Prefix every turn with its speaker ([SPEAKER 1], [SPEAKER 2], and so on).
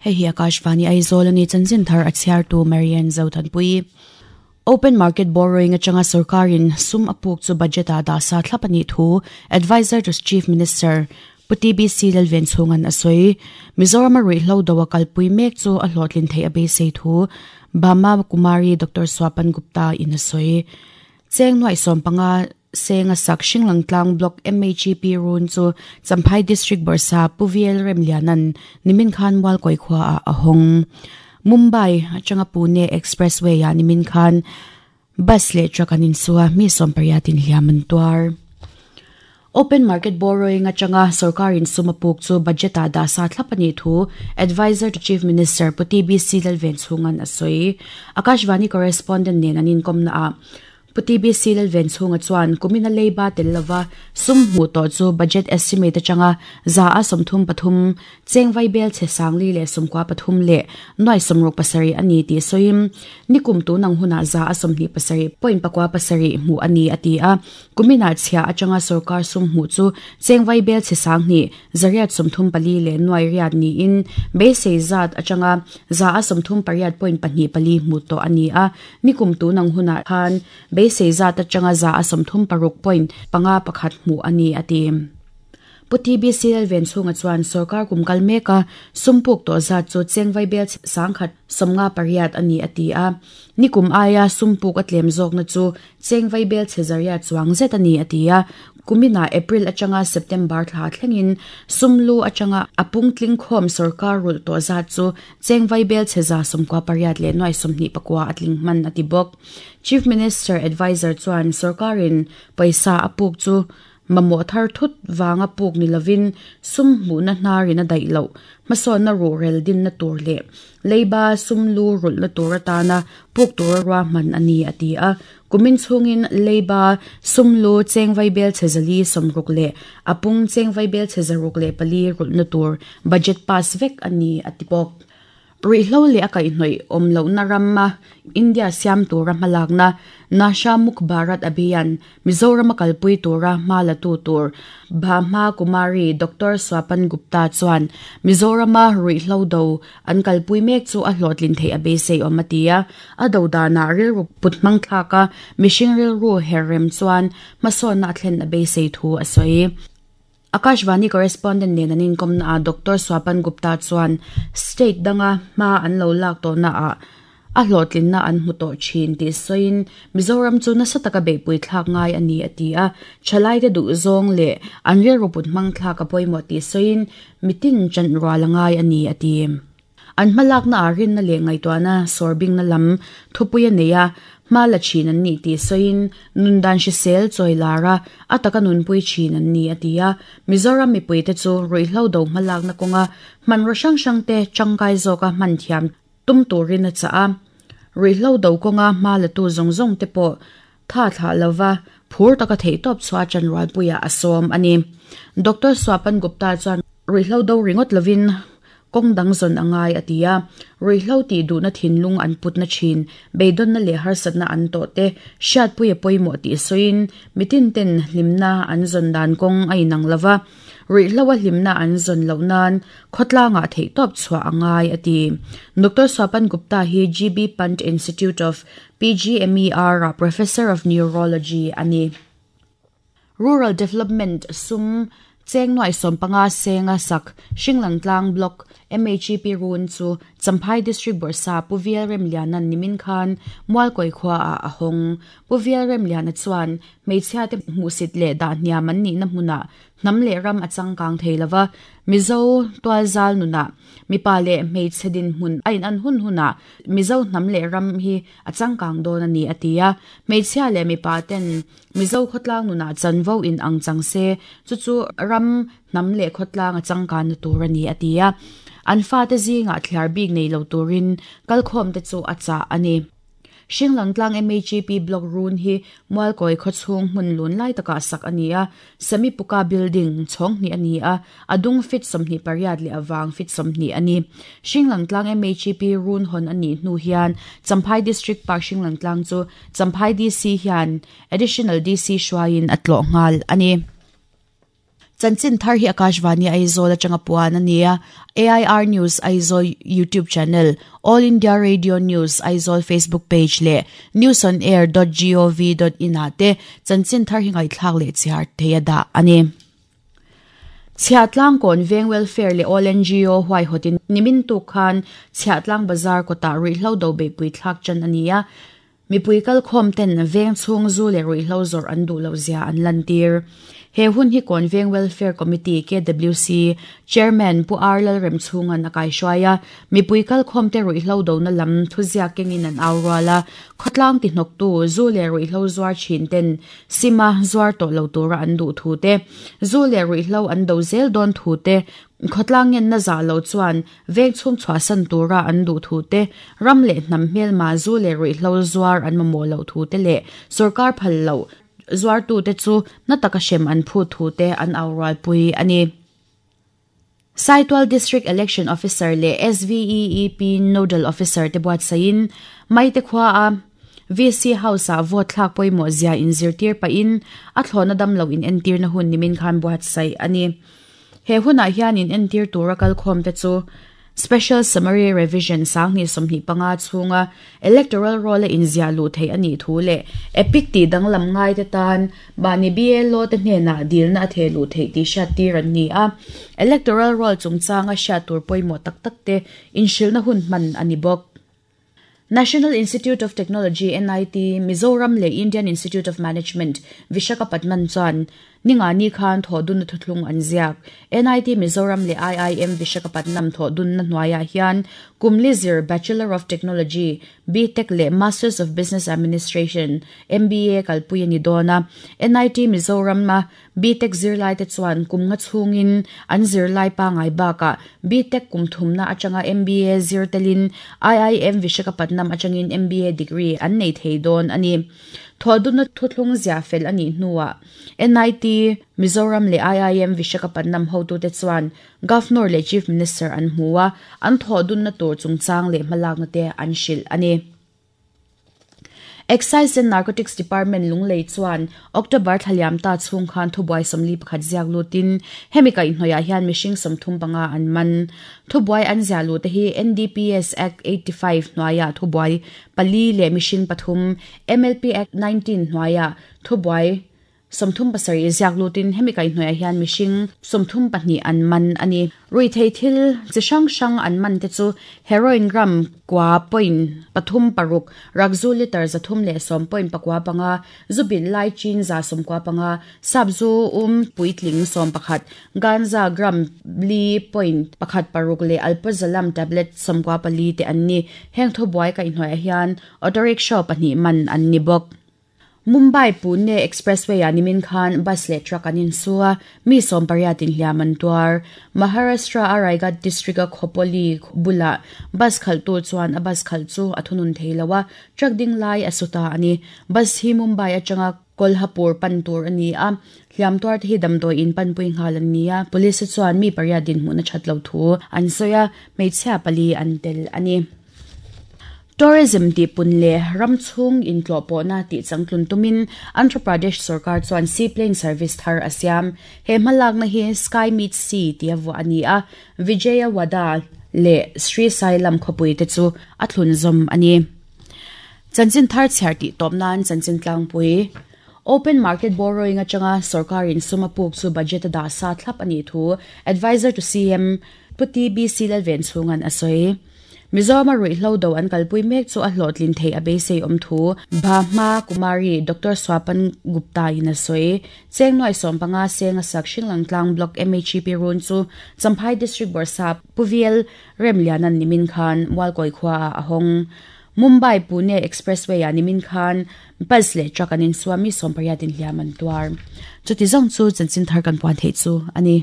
[SPEAKER 1] Hei hi Akashvani Aizawl a ni chanchin thar a chhiartu Marian Zothanpui. Open market borrowing atanga sorkarin sum a puk chu budget ah dah sa thlap a nih thu Adviser to Chief Minister Pu TBC Lalven chhungan a sawi. Mizoram a ruihhlo do a kalpui mek chu a hlawhtlin theih a beisei thu Bama Kumari Doctor Swapan Gupta in a sawi. Cheng nuaih 15 senga sak Hringlang tlang Block MHEP run chu Champhai District Bawrhsa Pu VL Remliana'n nimin khan Mualkawi khua ah a hawng. Mumbai atanga Pune Expressway ah nimin khan bus leh truck an insu a, mi 80 in hliam an tuar. Open market borrowing atanga sorkarin sum a puk chu budget ah dah sa thlap a nih thu Adviser to Chief Minister Pu TBC Lalvenchhunga'n a sawi. Akashvani correspondent nen an inkawmna ah Pu TBC Lalvenchhunga chuan kumina leiba tel lova sum hmuh tawh chu budget estimate atanga 33% cheng vaibel chhe 1093 leh nuai 67 a ni tih sawiin nikum tun ang hunah 27.97 hmuh a ni a ti a. Kuminah chhia atanga sorkar sum hmuh chu cheng vaibel chhe 2 834 leh nuai riat niin beisei zat atanga 38.24 hmuh tawh a ni a. Nikum tun ang hunah khan beisei zat atanga 36.51 hmuh a ni, a ti. Pu TBC Lalvenchhunga chuan sorkar kum kal meka sum puk tawh zat chu cheng vaibel 158 a ni, a ti a. Nikum aia sum puk a tlem zawkna chu cheng vaibel chhe zariat chuang zet a ni, a ti a. Kuminah April atanga September thla thlengin sum lu atanga a pungtling khawm sorkar rulh tawh zat chu Cheng vaibel chhe 98 leh nuai 29 a tling hman a ti bawk. Chief Minister Adviser chuan sorkarin pawisa a puk chu mamawh thar thut vanga puk ni lovin sum hmuhna hnarin a daih loh hmasawnna ruhrel dinna tur leh leiba sum lu rulhna tur atana puk tura ruahman a ni a ti a. Kumin chhungin leiba sum lu cheng vaibel chhe 460 leh a pung cheng vaibel chhe 604 rulhna tur budget pass vek a ni a ti bawk. Ruihhlo leh a kaihhnawih awm lohna rama India siam tura hmalakna Nasha Mukh Bharat Abhiyan Mizorama kalpui tura hma la tu tur Bhama Kumari Doctor Swapan Gupta chuan Mizorama ruihhlo do an kalpui mek chu a hlawhtlin theih a beisei awm a ti a. A do danah rilru put hmang thlaka mihring rilru her rem chuan hmasawnna a thlen a beisei thu a sawi. Akashvani correspondent nen an inkawmna ah Doctor Swapan Gupta chuan state danga hma an lo lak tawhna ah a hlawhtlinna an hmu tawh thin tih sawiin Mizoram chu nasa taka beihpui thlak ngai a ni a ti a. Thalaite duh zawng leh an rilru put hmang thlak a pawimawh tih sawiin mitin chanh rual a ngai a ni a ti. An hmalakna ah rinna leh ngaihtuahna sawrbingna lam thupui a nei a, hma la thin an nih tih sawiin nundan hrisel chawi lar a, a taka nunpui thin an ni a ti a. Mizoram mipuite chu ruihhlo do hmalakna kawnga hmanraw hrang hrangte tangkai zawka hman thiam tum turin a chah a. Ruihhlo do kawnga hma latu zawng zawng te pawh tha thlah lova phur taka theihtawp chhuah chanrualpuiah a sawm a ni. Doctor Swapan Gupta chuan ruihhlo do ringawt lovin kawng dang zawn a ngai a ti a, ruihhlo tih duhna thinlung an putna thin, beidawnna leh harsatna an tawh te hriatpui a pawimawh tih sawiin mitin ten hlimna an zawn dan kawng a inang lova, ruihhlo a hlimna an zawn loh nan khawtlangah theihtawp chhuah a ngai a ti. Doctor Swapan Gupta hi GB Pant Institute of PGMER ah Professor of Neurology a ni. Rural Development sum cheng nuaih 15 senga sak Hringlang tlang Block MHEP run chu Champhai District Bawrhsa Pu Vial Remliana'n nimin khan Mualkawi khua ah a hawng. Pu Vial Remliana chuan hmeichhia te hmuhsit leh dah hniam an nihna hmunah hnam leh ram a changkang thei lova, Mizo tualzal nunah mipa leh hmeichhe dinhmun a inan hun hunah Mizo hnam leh ram hi a changkang dawn a ni a ti a. Hmeichhia leh mipa ten Mizo khawtlang nunah chanvo in ang chang se, chu chu ram, hnam leh khawtlang a changkanna tur a ni, a ti a. An fate zingah thliar bik nei lo turin kalkhawmte chu a chah a ni. Hringlangtlang MHEP Block run hi Mualkawi khawchhung hmun lun lai takah sak a ni a, Semipuka Building chhawng hnih a ni a, a dung fit 28 leh a vang fit 20 a ni. Hringlangtlang MHEP run hawn a nih hnu hian Champhai District Park Hringlangtlang chu Champhai DC hian Additional DC hruaiin a tlawh nghal a ni. Chanchin thar hi Akashvani Aizawl atanga puan a ni a, AIR News Aizawl YouTube channel, All India Radio News Aizawl Facebook page leh newsonair dot gov dot in ah te chanchin thar hi ngaihthlak leh chhiar thei a dah a ni. Chhiahtlang Kawn Veng Welfare leh All NGO huaihawtin nimin tuk khan Chhiahtlang Bazar kawtah ruihhlo do beihpui thlak tan a ni a, Mipui kalkhawm ten veng chhung zu leh ruihhlo zawrh an duh loh zia an lantir. He hun hi Kawn Veng Welfare Committee, KWC, Chairman Pu R Lalremchhunga'n a kaihruai a, mipui kalkhawm te ruihhlo dona lam thuziak kengin an au rual a, khawtlang tihnawktu zu leh ruihhlo zuar thin ten sima zuar tawh lo tura an duh thu te, zu leh ruihhlo an do zel dawn thu te, Khawtlang ngenna zah lo chuan veng chhung chhuahsan tura an duh thu te, ram leh hnam hmelma zu leh ruihhlo zuar an mamawh loh thu te leh sorkar phal loh zuartute chu na taka hrem an phut thu te an au rualpui a ni. Saitual District Election Officer leh SVEEP Nodal Officer te buatsaihin Maite khuaa VC House-ah vote thlak pawimawh zia inzirtir pahin a thlawhna damlo inentirna hun nimin khan buatsaih a ni. He hunah hian in entir tura kalkhawmte chu Special Summary Revision 2025 chhunga Electoral Roll-a inziah luh theih a nih thu leh EPIC tih danglam ngaite tan mahni BLO te hnenah dilna a theh luh theih tih hriattir an ni a. Electoral Roll chungchanga hriat tur pawimawh tak takte inhrilhna hun hman a ni bawk. National Institute of Technology, NIT, Mizoram leh Indian Institute of Management, Vishakhapatnam chuan ningani khan thawhdunna thuthlung an ziak. NIT Mizoram leh IIM Vishakhapatnam thawhdunna hnuaiah hian kum li zir Bachelor of Technology, BTech, leh Masters of Business Administration, MBA, kalpui a ni dawn a. NIT Mizoram-a BTech zirlaite chuan kum nga chhungin an zirlai pangngai bakah BTech kum thumna atanga MBA zir telin IIM Vishakhapatnam atangin MBA degree an nei thei dawn a ni. Thawhdunna thuthlung zia fel a nih hnuah NIT Mizoram leh IIM Vishakhapatnam hotute chuan Governor leh Chief Minister an hmu a, an thawhdunna tur chungchang leh hmalakna te an hrilh a ni. Excise and Narcotics Department Lunglei chuan October thla liam ta chhung khan thubuai 41 ziak lutin hemi kaihhnawihah hian mihring 35 an man. Thubuai an ziah luh te hi NDPS Act 85 hnuaiah thubuai pali leh mihring pathum, MLP Act 19 hnuaiah thubuai 37 ziak lutin hemi kaihhnawihah hian mihring 32 an man a ni. Ruihthei thil chi hrang hrang an man te chu heroin gram kua point pathum paruk, rakzu litre 310 point pakua panga, zu bilh lai chin 95, sap zu um puitling 11, ganja gram li point pakhat paruk leh alprazolam tablet 94 te an ni. Heng thubuai kaihhnawihah hian auto rickshaw pahnih man an ni bawk. Mumbai Pune Expressway-ah nimin khan bus leh truck an insu a, mi sawmpariat inhliam an tuar. Maharashtra-a Raigad district-a Khopoli bulah bus khalhtu chuan a bus khalh chu a thunun thei lo a, truck ding lai a su ta a ni. Bus hi Mumbai atanga Kolhapur pan tur a ni a, hliam tuarte hi damdawi in panpui nghal an ni a, police chuan mi pariat dinhmun a that lo thu an sawi a, hmeichhia pali an tel a ni. Tourism tih pun leh ram chhung intlawh pawhna tih changtlun tumin Andhra Pradesh sorkar chuan seaplane service thar a siam. He hmalakna hi Sky Meets Sea tia vuah a ni a, Vijayawada leh Srisailam khawpui te chu a thlun zawm a ni. Chanchin thar chhiar tih tawp nan chanchin tlangpui Open market borrowing atanga sorkarin sum a puk chu budget a dah sa thlap a nih thu Adviser to CM Pu TBC Lalvenchhunga'n a sawi. Mizorama ruihhlo do an kalpui mek chu a hlawhtlin theih a beisei awm thu Bhahma Kumari Doctor Swapan Gupta in a sawi. Cheng nuai sawmpanga seng a sak Hringlang Tlang Block MHEP run chu Champhai District Bawrhsap Pu VL Remliana'n nimin khan Mualkawi khuaah a hawng. Mumbai Pune Expressway ah nimin khan bus leh truck an insuam mi sawmpariat inhliam an tuar. Chuti zawng chu chanchin thar kan puan theih chu a ni.